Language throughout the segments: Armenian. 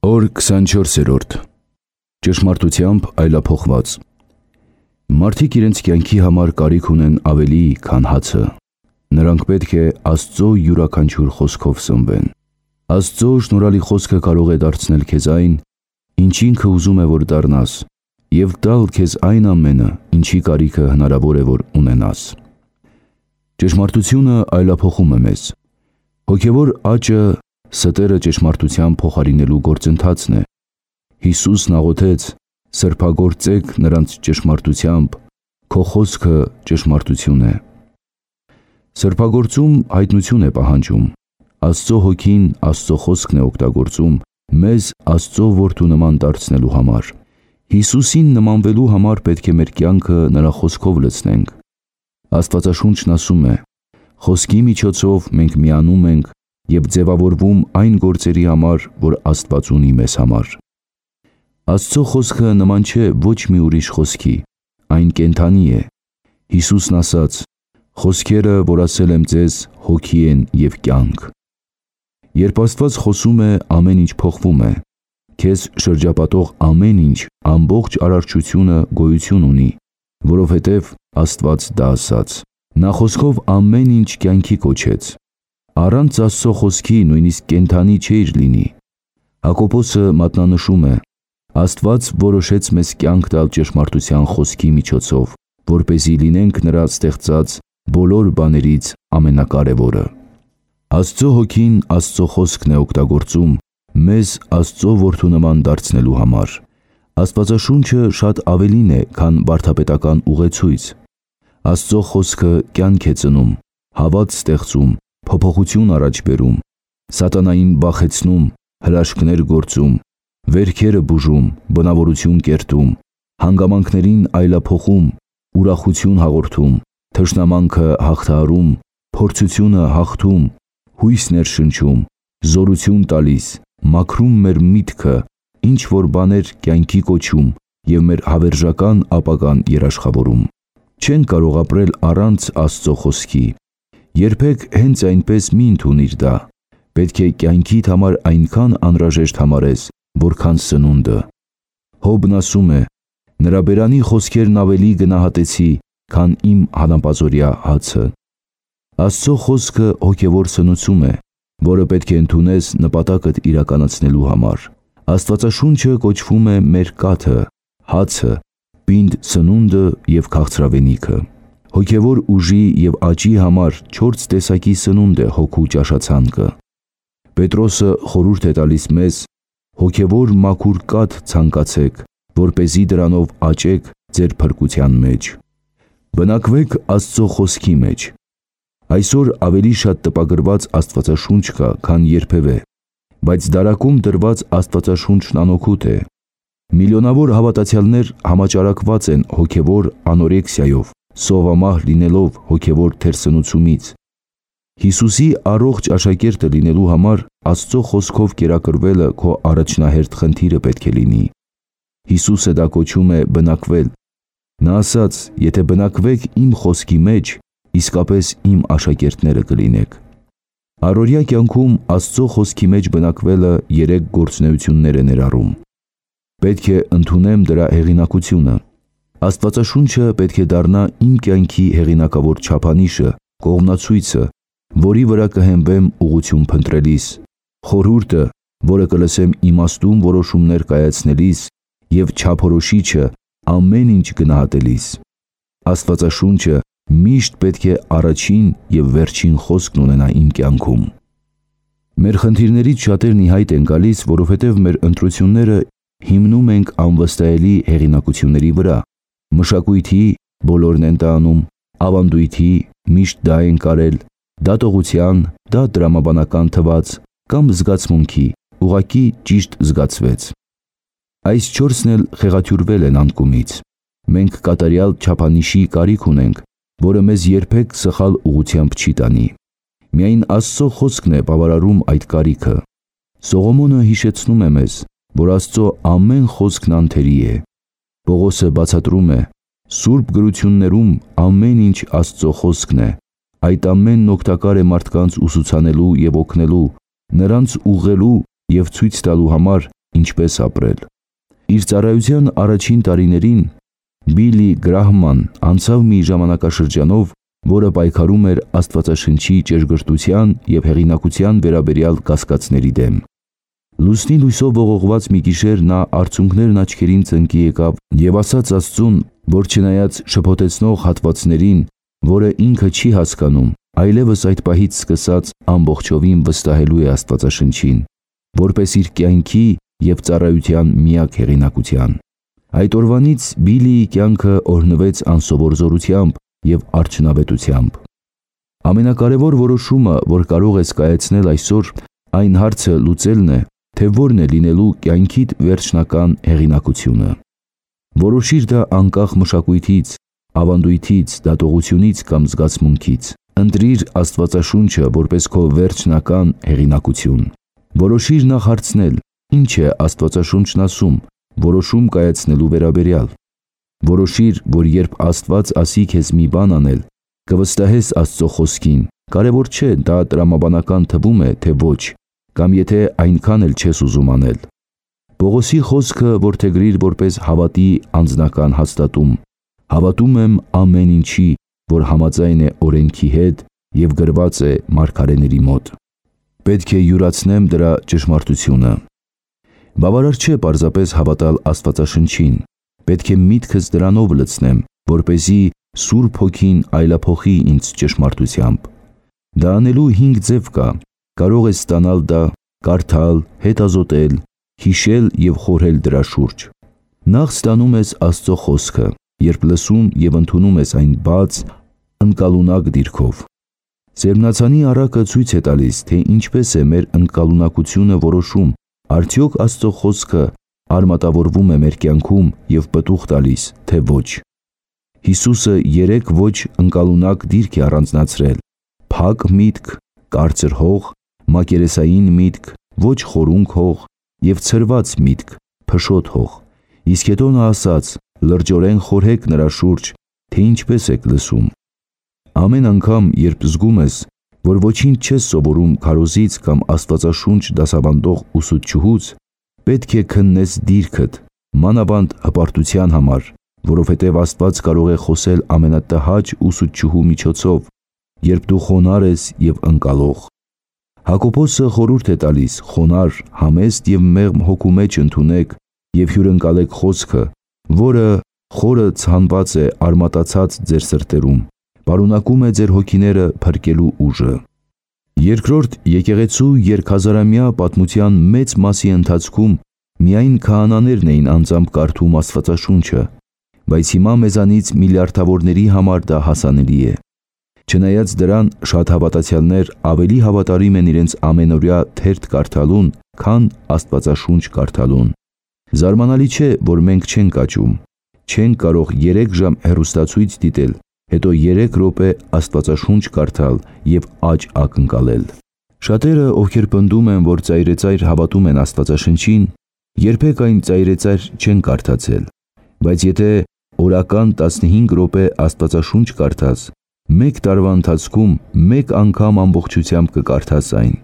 Օր 24-րդ Ճշմարտությամբ այլափոխված։ Մարդիկ իրենց կյանքի համար կարիք ունեն ավելի, քան հացը։ Նրանք պետք է Աստծո յուրաքանչյուր խոսքով սնվեն։ Աստծո շնորհալի խոսքը կարող է դարձնել քեզ այն, ինչ ինքը ուզում է, որ դառնաս, և տալ քեզ այն ամենը, ինչի կարիքը հնարավոր է, որ ունենաս։ Ճշմարտությունը այլափոխում է մեզ։ Հոգևոր աճը ստերը ճշմարտության փոխարինելու գործընթացն է։ Հիսուսն աղոթեց. «Սրբագործեք նրանց ճշմարտությամբ, քո խոսքը ճշմարտություն է»։ Սրբագործում հայտնություն է պահանջում։ Աստծո հոգին Աստծո խոսքն է օգտագործում մեզ Աստծո որդու նման դարձնելու համար։ Հիսուսին նմանվելու համար պետք է մեր կյանքը նրա խոսքով լցնենք։ Աստվածաշունչն ասում է. «Խոսքի միջոցով մենք միանում ենք և ձևավորվում այն գործերի համար, որ Աստված ունի մեզ համար»։ Աստծո խոսքը նման չէ ոչ մի ուրիշ խոսքի, այն կենդանի է։ Հիսուսն ասաց. «Խոսքերը, որ ասել եմ ձեզ, հոգի են և կյանք»։ Երբ Աստված խոսում է, ամեն ինչ փոխվում է։ Քեզ շրջապատող ամեն ինչ, ամբողջ արարչությունը գոյություն ունի, որովհետև Աստված դա ասաց։ Նա խոսքով ամեն ինչ կյանքի կոչեց։ Առանց Աստծո խոսքի նույնիսկ կենդանի չէիր լինի։ Հակոբոսը մատնանշում է. «Աստված որոշեց մեզ կյանք տալ ճշմարտության խոսքի միջոցով, որպեսզի լինենք նրա ստեղծած բոլոր բաներից ամենակարևորը»։ Աստծո հոգին Աստծո խոսքն է օգտագործում մեզ Աստծո որդու նման դարձնելու համար։ Աստվածաշունչը շատ ավելին է, քան վարդապետական ուղեցույց։ Աստծո խոսքը կյանք է ծնում, հավատ ստեղծում, փոփոխություն առաջ բերում, սատանային վախեցնում, հրաշքներ գործում, վերքերը բուժում, բնավորություն կերտում, հանգամանքներին այլափոխում, ուրախություն հաղորդում, թշնամանքը հաղթահարում, փորձությունը հաղթում, հույս ներշնչում, զորություն տալիս, մաքրում մեր միտքը, ինչ որ բաներ կյանքի կոչում և մեր հավերժական ապագան երաշխավորում։ Չենք կարող ապրել առանց Աստծո խոսքի։ Երբեք հենց այնպես մի ընդունիր դա։ Պետք է կյանքիդ համար այնքան անհրաժեշտ համարես, որքան սնունդը։ Հոբն ասում է. «Նրա բերանի խոսքերն ավելի գնահատեցի, քան իմ հանապազօրյա հացը»։ Աստծո խոսքը հոգևոր սնուցում է, որը պետք է ընդունես նպատակդ իրականացնելու համար։ Աստվածաշունչը կոչվում է մեր կաթը, հացը, պինդ սնունդը և քաղցրավենիքը։ Հոգևոր ուժի և աճի համար 4 տեսակի սնունդ է հոգու ճաշացանկը։ Պետրոսը խորհուրդ է տալիս մեզ. «Հոգևոր մաքուր կաթ ցանկացեք, որպեսզի դրանով աճեք ձեր փրկության մեջ»։ Բնակվեք Աստծո խոսքի մեջ։ Այսօր ավելի շատ տպագրված Աստվածաշունչ կա, քան երբևէ, բայց դարակում դրված Աստվածաշունչն անօգուտ է։ Միլիոնավոր հավատացյալներ համաճարակված են հոգևոր անորեքսիայով, սովամահ լինելով հոգևոր թերսնուցումից։ Հիսուսի առողջ աշակերտը լինելու համար Աստծո խոսքով կերակրվելը քո առաջնահերթ խնդիրը պետք է լինի։ Հիսուսը դա կոչում է բնակվել։ Նա ասաց. «Եթե բնակվեք իմ խոսքի մեջ, իսկապես իմ աշակերտները կլինեք»։ Առօրյա կյանքում Աստծո խոսքի մեջ բնակվելը 3 գործունեություններ է ներառում։ Պետք է ընդունեմ դրա հեղինակությունը։ Աստվածաշունչը պետք է դառնա իմ կյանքի հեղինակավոր չափանիշը, կողմնացույցը, որի վրա կհենվեմ ուղղություն փնտրելիս, խորհուրդը, որը կլսեմ իմաստուն որոշումներ կայացնելիս և չափորոշիչը ամեն ինչ գնահատելիս։ Աստվածաշունչը միշտ պետք է առաջին և վերջին խոսքն ունենա իմ կյանքում։ Մեր խնդիրներից շատերն ի հայտ են գալիս, որովհետև մեր ընտրությունները հիմնում ենք անվստահելի հեղինակությունների վրա։ Մշակույթի բոլորն են դա անում, ավանդույթի միշտ դա են կարել, դատողության, դա տրամաբանական թվաց, կամ զգացմունքի, ուղղակի ճիշտ զգացվեց։ Այս 4-ն էլ խեղաթյուրվել են անկումից։ Մենք կատարյալ չափանիշի կարիք ունենք, որը մեզ երբեք սխալ ուղղությամբ չի տանի։ Միայն Աստծո խոսքն է բավարարում այդ կարիքը։ Սողոմոնը հիշեցնում է մեզ, որ Աստծո ամեն խոսքն անթերի է։ Պողոսը բացատրում է. «Սուրբ գրություններում ամեն ինչ Աստծո խոսքն է, այդ ամենն օգտակար է մարդկանց ուսուցանելու և օգնելու, նրանց ուղղելու և ցույց տալու համար, ինչպես ապրել։ Իր ծառայության առաջին տարիներին Բիլի Գրահման անցավ մի ժամանակաշրջանով, որը պայքարում էր Աստվածաշնչի ճշգրտության և հեղինակության վերաբերյալ կասկածների դեմ։ Լուսնի լույսով ողողված մի գիշեր նա արցունքներն աչքերին ծնկի եկավ և ասաց Աստծուն, որ չնայած շփոթեցնող հատվածներին, որը ինքը չի հասկանում, այլևս այդ պահից սկսած ամբողջովին վստահելու է Աստվածաշնչին, որպես իր կյանքի և ծառայության միակ հեղինակության։ Այդ օրվանից Բիլիի կյանքը օրհնվեց անսովոր զորությամբ և արդյունավետությամբ։ Ամենակարևոր որոշումը, որ կարող ես կայացնել այսօր, այն հարցը լուծելն է, թե որն է լինելու կյանքիդ վերջնական հեղինակությունը։ Որոշիր դա անկախ մշակույթից, ավանդույթից, դատողությունից կամ զգացմունքից։ Ընտրիր Աստվածաշունչը որպես քո վերջնական հեղինակություն։ Որոշիր նախ հարցնել, ինչ է Աստվածաշունչն ասում, որոշում կայացնելու վերաբերյալ։ Որոշիր, որ երբ Աստված ասի քեզ մի բան անել, կվստահես Աստծո խոսքին, կարևոր չէ դա տրամաբանական թվում է, թե ոչ, կամ եթե այնքան էլ չես ուզում անել։ Պողոսի խոսքը որդեգրիր որպես հավատի անձնական հաստատում։ Հավատում եմ ամեն ինչի, որ համաձայն է օրենքի հետ և գրված է մարգարեների մոտ։ Պետք է յուրացնեմ դրա ճշմարտությունը։ Բավարար չէ պարզապես հավատալ Աստվածաշնչին, պետք է միտքս դրանով լցնեմ, որպեսզի Սուրբ Հոգին այլափոխի ինձ ճշմարտությամբ։ Դա անելու 5 ձև կա, կարող ես ստանալ դա, կարդալ, հետազոտել, հիշել և խորհել դրա շուրջ։ Նախ ստանում ես Աստծո խոսքը, երբ լսում և ընդունում ես այն բաց, ընկալունակ դիրքով։ Սերմնացանի առակը ցույց է տալիս, թե ինչպես է մեր ընկալունակությունը որոշում, արդյոք Աստծո խոսքը արմատավորվում է մեր կյանքում և պտուղ տալիս, թե ոչ։ Հիսուսը 3 ոչ ընկալունակ դիրք է առանձնացրել՝ փակ միտք, կարծր հող, մակերեսային միտք, ոչ խորունկ հող և ցրված միտք, փշոտ հող։ Իսկ հետո նա ասաց. լրջորեն խորհեք նրա շուրջ, թե ինչպես եք լսում։ Ամեն անգամ, երբ զգում ես, որ ոչինչ չես սովորում քարոզից կամ Աստվածաշունչ դասավանդող ուսուցչուհուց, պետք է քննես դիրքդ, մանավանդ հպարտության համար, որովհետև Աստված կարող է խոսել ամենատհաճ ուսուցչուհու միջոցով, երբ դու խոնարհ ես և ընկալող։ Հակոբոսը խորհուրդ է տալիս խոնարհ, համեստ և մեղմ հոգու մեջ ընդունեք և հյուրընկալեք խոսքը, որը խորը ցանված է արմատացած ձեր սրտերում, պարունակում է ձեր հոգիները փրկելու ուժը։ Երկրորդ, եկեղեցու երկհազարամյա պատմության մեծ մասի ընթացքում միայն քահանաներն էին անձամբ կարդում Աստվածաշունչը, բայց հիմա մեզանից միլիարդավորների համար դա հասանելի է։ Չնայած դրան, շատ հավատացյալներ ավելի հավատարիմ են իրենց ամենօրյա թերթ կարդալուն, քան Աստվածաշունչ կարդալուն։ Զարմանալի չէ, որ մենք չենք աճում։ Չենք կարող 3 ժամ հեռուստացույց դիտել, հետո 3 րոպե Աստվածաշունչ կարդալ և աճ ակնկալել։ Շատերը, ովքեր պնդում են, որ ծայրեծայր հավատում են Աստվածաշնչին, երբեք այն ծայրեծայր չեն կարդացել, բայց եթե օրական 15 րոպե Աստվածաշունչ կարդաս, 1 տարվա ընթացքում 1 անգամ ամբողջությամբ կկարդաս այն։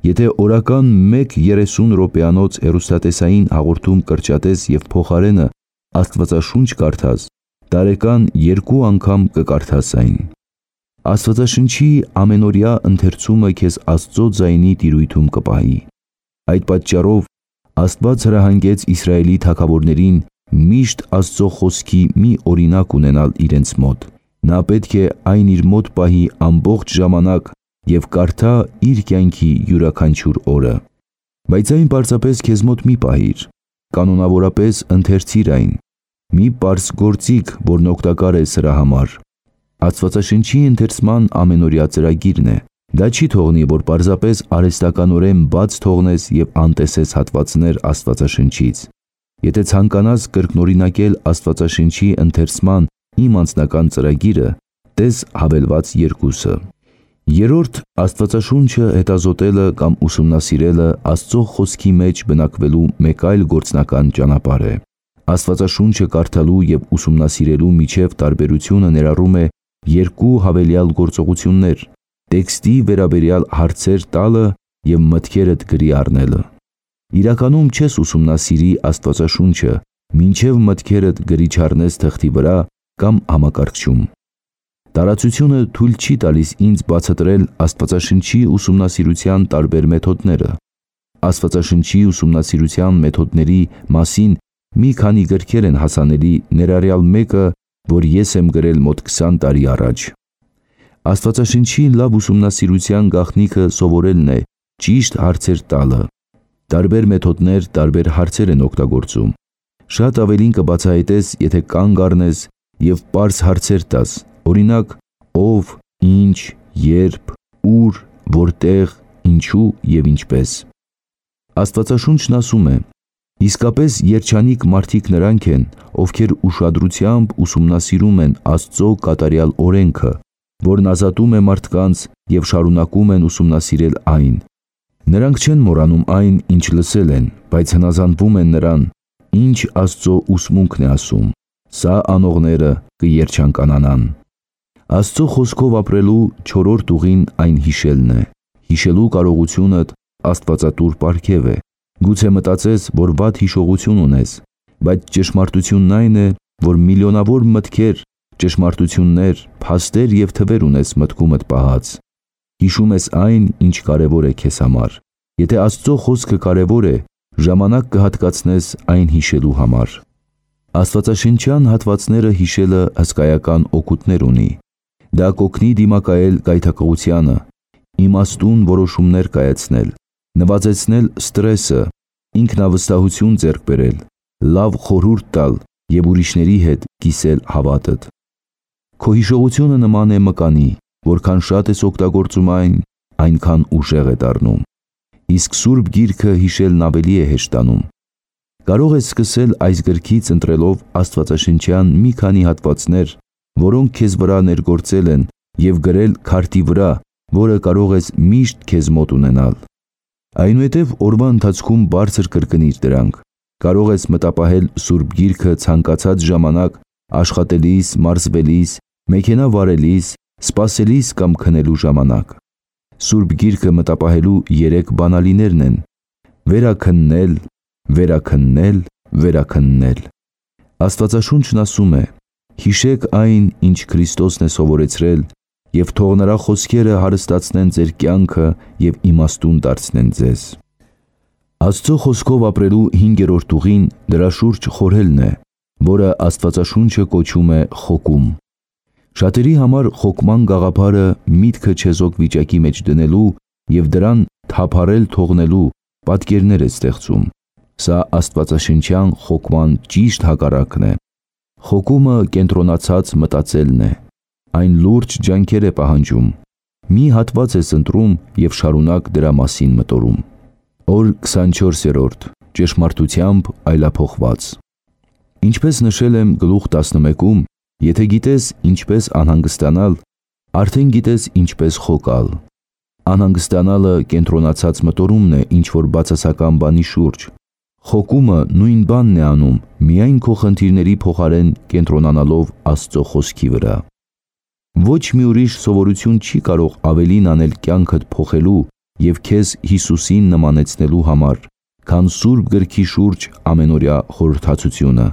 Եթե օրական 1 30 րոպեանոց հեռուստատեսային հաղորդում կրճատես և փոխարենը Աստվածաշունչ կարդաս, տարեկան 2 անգամ կկարդաս այն։ Աստվածաշնչի ամենօրյա ընթերցումը քեզ Աստծո ձայնի տիրույթում կպահի։ Այդ պատճառով Աստված հրահանգեց Իսրայելի թագավորներին միշտ Աստծո խոսքի մի օրինակ ունենալ իրենց մոտ։ Նա պետք է այն իր մոտ պահի ամբողջ ժամանակ և կարդա իր կյանքի յուրաքանչյուր օրը։ Բայց այն պարզապես քեզ մոտ մի պահիր, կանոնավորապես ընթերցիր այն։ Մի պարզ գործիք, որն օգտակար է սրա համար։ Աստվածաշնչի ընթերցման ամենօրյա ծրագիրն է։ Դա չի թողնի, որ պարզապես արհեստականորեն բաց թողնես և անտեսես հատվածներ Աստվածաշնչից։ Եթե ցանկանաս կրկնօրինակել Աստվածաշնչի ընթերցման իմ անձնական ծրագիրը, տես հավելված 2-ը։ Երրորդ, Աստվածաշունչը հետազոտելը կամ ուսումնասիրելը Աստծո խոսքի մեջ բնակվելու մեկ այլ գործնական ճանապարհ է։ Աստվածաշունչը կարդալու և ուսումնասիրելու միջև տարբերությունը ներառում է 2 հավելյալ գործողություններ՝ տեքստի վերաբերյալ հարցեր տալը և մտքերդ գրի առնելը։ Իրականում չես ուսումնասիրի Աստվածաշունչը, մինչև մտքերդ գրի չառնես թղթի վրա կամ համակարգչում։ Տարածությունը թույլ չի տալիս ինձ բացատրել Աստվածաշնչի ուսումնասիրության տարբեր մեթոդները։ Աստվածաշնչի ուսումնասիրության մեթոդների մասին մի քանի գրքեր են հասանելի, ներառյալ մեկը, որ ես եմ գրել մոտ 20 տարի առաջ։ Աստվածաշնչի լավ ուսումնասիրության գաղտնիքը սովորելն է, ճիշտ հարցեր տալը։ Տարբեր մեթոդներ տարբեր հարցեր են օգտագործում։ Շատ ավելին կբացահայտես, եթե կանգ առնես և պարզ հարցեր տաս, օրինակ, ով, ինչ, երբ, ուր, որտեղ, ինչու և ինչպես։ Աստվածաշունչն ասում է. իսկապես երջանիկ մարդիկ նրանք են, ովքեր ուշադրությամբ ուսումնասիրում են Աստծո կատարյալ օրենքը, որն ազատում է մարդկանց և շարունակում են ուսումնասիրել այն։ Նրանք չեն մոռանում այն, ինչ լսել են, բայց հնազանդվում են նրան, ինչ Աստծո ուսմունքն է ասում։ Սա անողները կերջանկանան։ Աստծո խոսքով ապրելու չորրորդ ուղին այն հիշելն է։ Հիշելու կարողությունդ աստվածատուր պարգև է։ Գուցե մտածես, որ վատ հիշողություն ունես, բայց ճշմարտությունն այն է, որ միլիոնավոր մտքեր, ճշմարտություններ, փաստեր և թվեր ունես մտքումդ պահած։ Հիշում ես այն, ինչ կարևոր է քեզ համար։ Եթե Աստծո խոսքը կարևոր է, ժամանակ կհատկացնես այն հիշելու համար։ Աստվածաշնչյան հատվածները հիշելը հսկայական օգուտներ ունի։ Դա կօգնի դիմակայել գայթակղությանը, իմաստուն որոշումներ կայացնել, նվազեցնել ստրեսը, ինքնավստահություն ձեռք բերել, լավ խորհուրդ տալ և ուրիշների հետ կիսել հավատդ։ Քո հիշողությունը նման է մկանի, որքան շատ ես օգտագործում այն, այնքան ուժեղ է դառնում։ Իսկ Սուրբ Գիրքը հիշելն ավելի է հեշտանում։ Կարող ես սկսել այս գրքից ընտրելով աստվածաշնչյան մի քանի հատվածներ, որոնք քեզ վրա ներգործել են և գրել քարտի վրա, որը կարող ես միշտ քեզ մոտ ունենալ։ Այնուհետև օրվա ընթացքում բարձր կրկնիր դրանք։ Կարող ես մտապահել Սուրբ Գիրքը ցանկացած ժամանակ աշխատելիս, մարզվելիս, մեքենա վարելիս, սպասելիս կամ քնելու ժամանակ։ Սուրբ Գիրքը մտապահելու 3 բանալիներն են՝ վերաքննել, վերաքննել, վերաքննել։ Աստվածաշունչն ասում է. հիշեք այն, ինչ Քրիստոսն է սովորեցրել, և թող նրա խոսքերը հարստացնեն ձեր կյանքը և իմաստուն դարձնեն ձեզ։ Աստծո խոսքով ապրելու 5-րդ ուղին դրա շուրջ խորհելն է, որը Աստվածաշունչը կոչում է խոկում։ Շատերի համար խոկման գաղափարը միտքը չեզոք վիճակի մեջ դնելու և դրան թափառել թողնելու պատկերներ է ստեղծում։ Սա աստվածաշնչյան խոկման ճիշտ հակառակն է։ Խոկումը կենտրոնացած մտածելն է։ Այն լուրջ ջանքեր է պահանջում։ Մի հատված ես ընտրում և շարունակ դրա մասին մտորում։ Օր 24-րդ. Ճշմարտությամբ այլափոխված։ Ինչպես նշել եմ գլուխ 11-ում, եթե գիտես ինչպես անհանգստանալ, արդեն գիտես ինչպես խոկալ։ Անհանգստանալը կենտրոնացած մտորումն է ինչ-որ բացասական բանի շուրջ։ Խոկումը նույն բանն է անում, միայն քո խնդիրների փոխարեն կենտրոնանալով Աստծո խոսքի վրա։ Ոչ մի ուրիշ սովորություն չի կարող ավելին անել կյանքդ փոխելու և քեզ Հիսուսին նմանեցնելու համար, քան Սուրբ Գրքի շուրջ ամենօրյա խորհրդածությունը։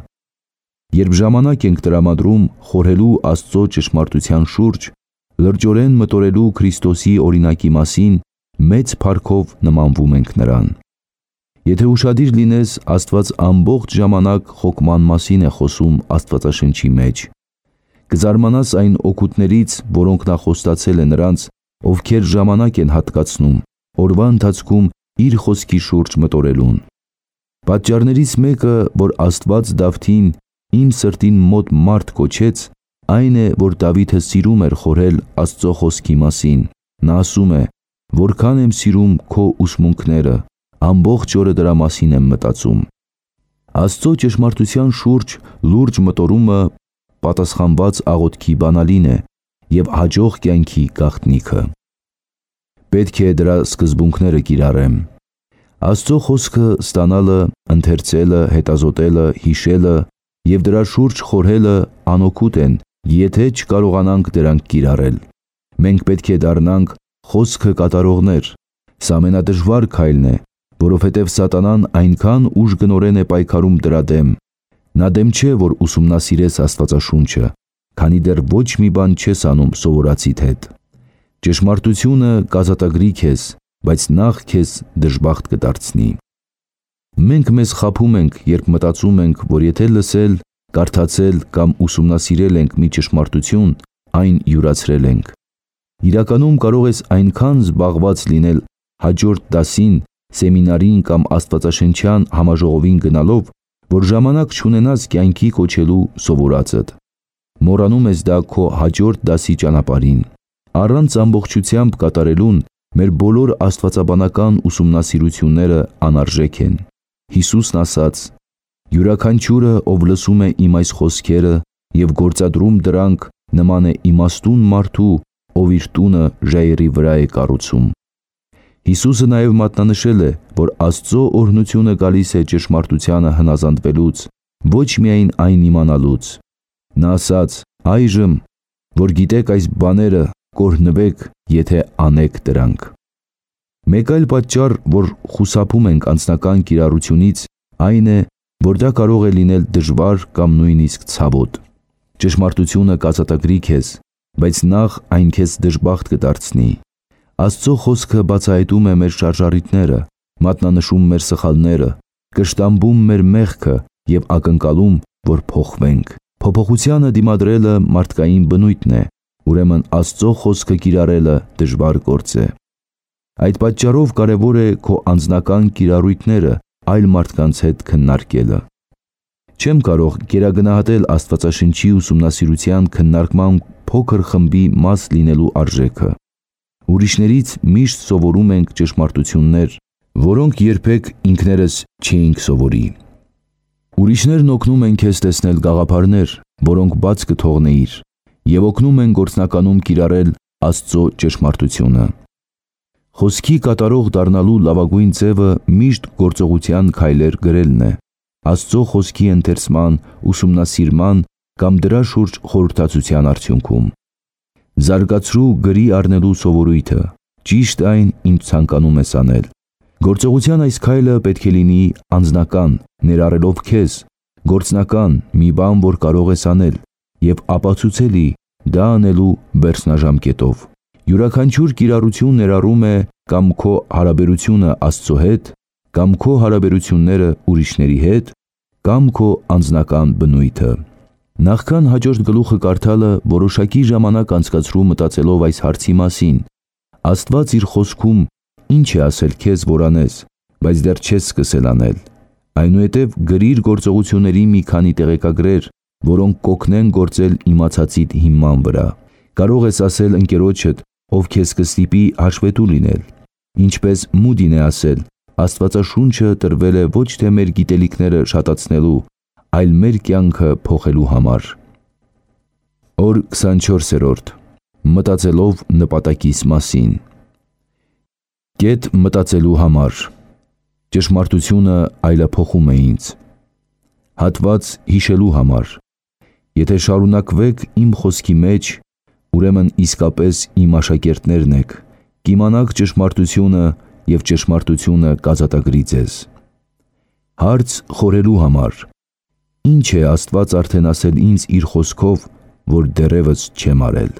Երբ ժամանակ ենք տրամադրում խորհելու Աստծո ճշմարտության շուրջ, լրջորեն մտորելու Քրիստոսի օրինակի մասին, մեծ փառքով նմանվում ենք նրան։ Եթե ուշադիր լինես, Աստված ամբողջ ժամանակ խոկման մասին է խոսում Աստվածաշնչի մեջ։ Կզարմանաս այն օգուտներից, որոնք նա խոստացել է նրանց, ովքեր ժամանակ են հատկացնում օրվա ընթացքում իր խոսքի շուրջ մտորելուն։ Պատճառներից մեկը, որ Աստված Դավթին իմ սրտին մոտ մարդ կոչեց, այն է, որ Դավիթը սիրում էր խորհել Աստծո խոսքի մասին։ Նա ասում է. որքան եմ սիրում քո ուսմունքները, ամբողջ օրը դրա մասին եմ մտածում։ Աստծո ճշմարտության շուրջ լուրջ մտորումը պատասխանված աղոթքի բանալին է և հաջող կյանքի գաղտնիքը։ Պետք է դրա սկզբունքները կիրառեմ։ Աստծո խոսքը ստանալը, ընթերցելը, հետազոտելը, հիշելը և դրա շուրջ խորհելը անօգուտ են, եթե չկարողանանք դրանք կիրառել։ Մենք պետք է դառնանք խոսքը կատարողներ։ Սա ամենադժվար քայլն է, որովհետև սատանան այնքան ուժգնորեն է պայքարում դրա դեմ։ Նա դեմ չէ, որ ուսումնասիրես Աստվածաշունչը, քանի դեռ ոչ մի բան չես անում սովորածիդ հետ։ Ճշմարտությունը կազատագրի քեզ, բայց նախ քեզ դժբախտ կդարձնի։ Մենք մեզ խաբում ենք, երբ մտածում ենք, որ եթե լսել, կարդացել կամ ուսումնասիրել ենք մի ճշմարտություն, այն յուրացրել ենք։ Իրականում կարող ես այնքան զբաղված լինել հաջորդ դասին, սեմինարին կամ աստվածաշնչյան համաժողովին գնալով, որ ժամանակ չունենաս կյանքի կոչելու սովորածդ։ Մոռանում ես դա քո հաջորդ դասի ճանապարհին։ Առանց ամբողջությամբ կատարելուն մեր բոլոր աստվածաբանական ուսումնասիրությունները անարժեք են։ Հիսուսն ասաց. «Յուրաքանչյուրը, ով լսում է իմ այս խոսքերը և գործադրում դրանք, նման է իմաստուն մարդու, ով իր տունը ժայռի վրա է կառուցում»։ Հիսուսը նաև մատնանշել է, որ Աստծո օրհնությունը գալիս է ճշմարտությանը հնազանդվելուց, ոչ միայն այն իմանալուց։ Նա ասաց. «Այժմ, որ գիտեք այս բաները, կօրհնվեք, եթե անեք դրանք»։ Մեկ այլ պատճառ, որ խուսափում ենք անձնական կիրառությունից, այն է, որ դա կարող է լինել դժվար կամ նույնիսկ ցավոտ։ Ճշմարտությունը կազատագրի քեզ, բայց նախ այն քեզ դժբախտ կդարձնի։ Աստծո խոսքը բացահայտում է մեր շարժառիթները, մատնանշում մեր սխալները, կշտամբում մեր մեղքը և ակնկալում, որ փոխվենք։ Փոփոխությանը դիմադրելը մարդկային բնույթն է, ուրեմն Աստծո խոսքը կիրառելը դժվար գործ է։ Այդ պատճառով կարևոր է քո անձնական կիրառույթները այլ մարդկանց հետ քննարկելը։ Չեմ կարող գերագնահատել Աստվածաշնչի ուսումնասիրության քննարկման փոքր խմբի մաս լինելու արժեքը։ Ուրիշներից միշտ սովորում ենք ճշմարտություններ, որոնք երբեք ինքներս չէինք սովորի։ Ուրիշներն օգնում են քեզ տեսնել գաղափարներ, որոնք բաց կթողնեիր, և օգնում են գործնականում կիրառել Աստծո ճշմարտությունը։ Խոսքի կատարող դառնալու լավագույն ձևը միշտ գործողության քայլեր գրելն է, Աստծո խոսքի ընթերցման, ուսումնասիրման կամ դրա շուրջ խորհրդածության արդյունքում։ Զարգացրու գրի առնելու սովորույթը, ճիշտ այն, ինչ ցանկանում ես անել։ Գործողության այս քայլը պետք է լինի անձնական, ներառելով քեզ, գործնական, մի բան, որ կարող ես անել, և ապացուցելի, դա անելու վերջնաժամկետով։ Յուրաքանչյուր կիրառություն ներառում է կամ քո հարաբերությունը Աստծո հետ, կամ քո հարաբերությունները ուրիշների հետ, կամ քո անձնական բնույթը։ Նախքան հաջորդ գլուխը կարդալը որոշակի ժամանակ անցկացրու մտածելով այս հարցի մասին. Աստված իր խոսքում ինչ է ասել քեզ, որ անես, բայց դեռ չես սկսել անել։ Այնուհետև գրիր գործողությունների մի քանի տեղեկագրեր, որոնք կօգնեն գործել իմացածիդ հիման վրա։ Կարող ես ասել ընկերոջդ, ով քեզ կստիպի հաշվետու լինել։ Ինչպես Մուդին է ասել, Աստվածաշունչը տրվել է ոչ թե մեր գիտելիքները շատացնելու, այլ մեր կյանքը փոխելու համար։ Օր 24-րդ. Մտածելով նպատակիս մասին։ Կետ մտածելու համար։ Ճշմարտությունը այլափոխում է ինձ։ Հատված հիշելու համար։ Եթե շարունակվեք իմ խոսքի մեջ, ուրեմն իսկապես իմ աշակերտներն եք, կիմանաք ճշմարտությունը և ճշմարտությունը կազատագրի ձեզ։ Հարց խորելու համար. Ինչ է Աստված արդեն ասել ինձ իր խոսքով, որ դեռևս չեմ արել։